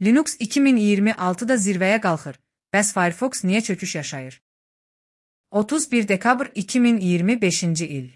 Linux 2026-da zirvəyə qalxır. Bəs Firefox niyə çöküş yaşayır? 31 dekabr 2025-ci il.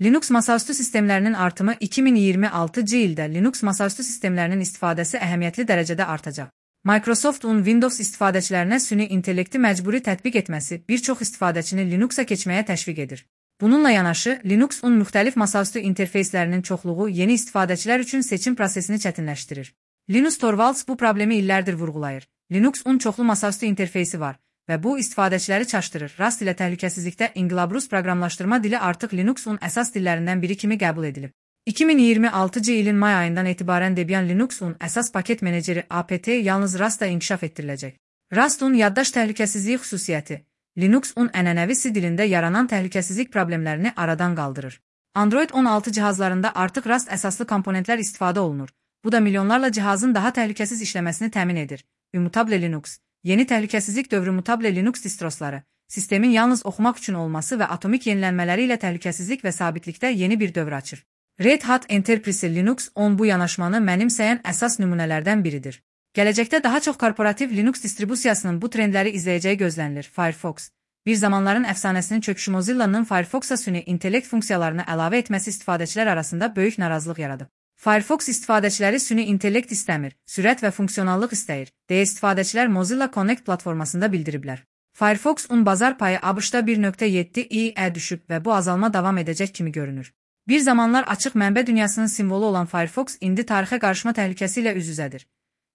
Linux masaüstü sistemlərinin artımı 2026-cı ildə Linux masaüstü sistemlərinin istifadəsi əhəmiyyətli dərəcədə artacaq. Microsoft'un Windows istifadəçilərinə süni intellekti məcburi tətbiq etməsi bir çox istifadəçini Linux'a keçməyə təşviq edir. Bununla yanaşı, Linux-un müxtəlif masaüstü interfeyslərinin çoxluğu yeni istifadəçilər üçün seçim prosesini çətinləşdirir. Linus Torvalds bu problemi illərdir vurğulayır. Linux-un çoxlu masaüstü interfeysi var və bu istifadəçiləri çaşdırır. Rast ilə təhlükəsizlikdə İnqilabrus proqramlaşdırma dili artıq Linux-un əsas dillərindən biri kimi qəbul edilib. 2026-cı ilin may ayından etibarən Debian Linux-un əsas paket meneceri apt yalnız Rastda inkişaf etdiriləcək. Rastun yaddaş təhlükəsizliyi xüsusiyyəti Linux-un ənənəvi C dilində yaranan təhlükəsizlik problemlərini aradan qaldırır. Android 16 cihazlarında artıq Rast əsaslı komponentlər istifadə olunur. Bu da milyonlarla cihazın daha təhlükəsiz işləməsini təmin edir. Immutable Linux, yeni təhlükəsizlik dövrü Mutable Linux distrosları, sistemin yalnız oxumaq üçün olması və atomik yenilənmələri ilə təhlükəsizlik və sabitlikdə yeni bir dövr açır. Red Hat Enterprise Linux 10 bu yanaşmanı mənimsəyən əsas nümunələrdən biridir. Gələcəkdə daha çox korporativ Linux distribusiyasının bu trendləri izləyəcəyi gözlənilir. Firefox, bir zamanların əfsanəsinin çöküşü Mozilla'nın Firefox'a süni intellekt funksiyalarını əlavə etməsi istifadəçilər arasında böyük narazılıq yaradıb. Firefox istifadəçiləri süni intellekt istəmir, sürət və funksionallıq istəyir, deyə istifadəçilər Mozilla Connect platformasında bildiriblər. Firefox-un bazar payı ABŞ-da 1.7%-ə düşüb və bu azalma davam edəcək kimi görünür. Bir zamanlar açıq mənbə dünyasının simvolu olan Firefox indi tarixə qarışma təhlükəsi ilə üz-üzədir.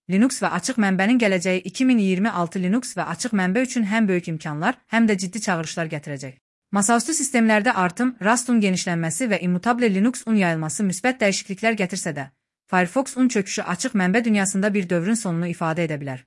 Linux və açıq mənbənin gələcəyi 2026 Linux və açıq mənbə üçün həm böyük imkanlar, həm də ciddi çağırışlar gətirəcək. Masaüstü sistemlərdə artım, Rust'un genişlənməsi və Immutable Linux-un yayılması müsbət dəyişikliklər gətirsə də, Firefox-un çöküşü açıq mənbə dünyasında bir dövrün sonunu ifadə edə bilər.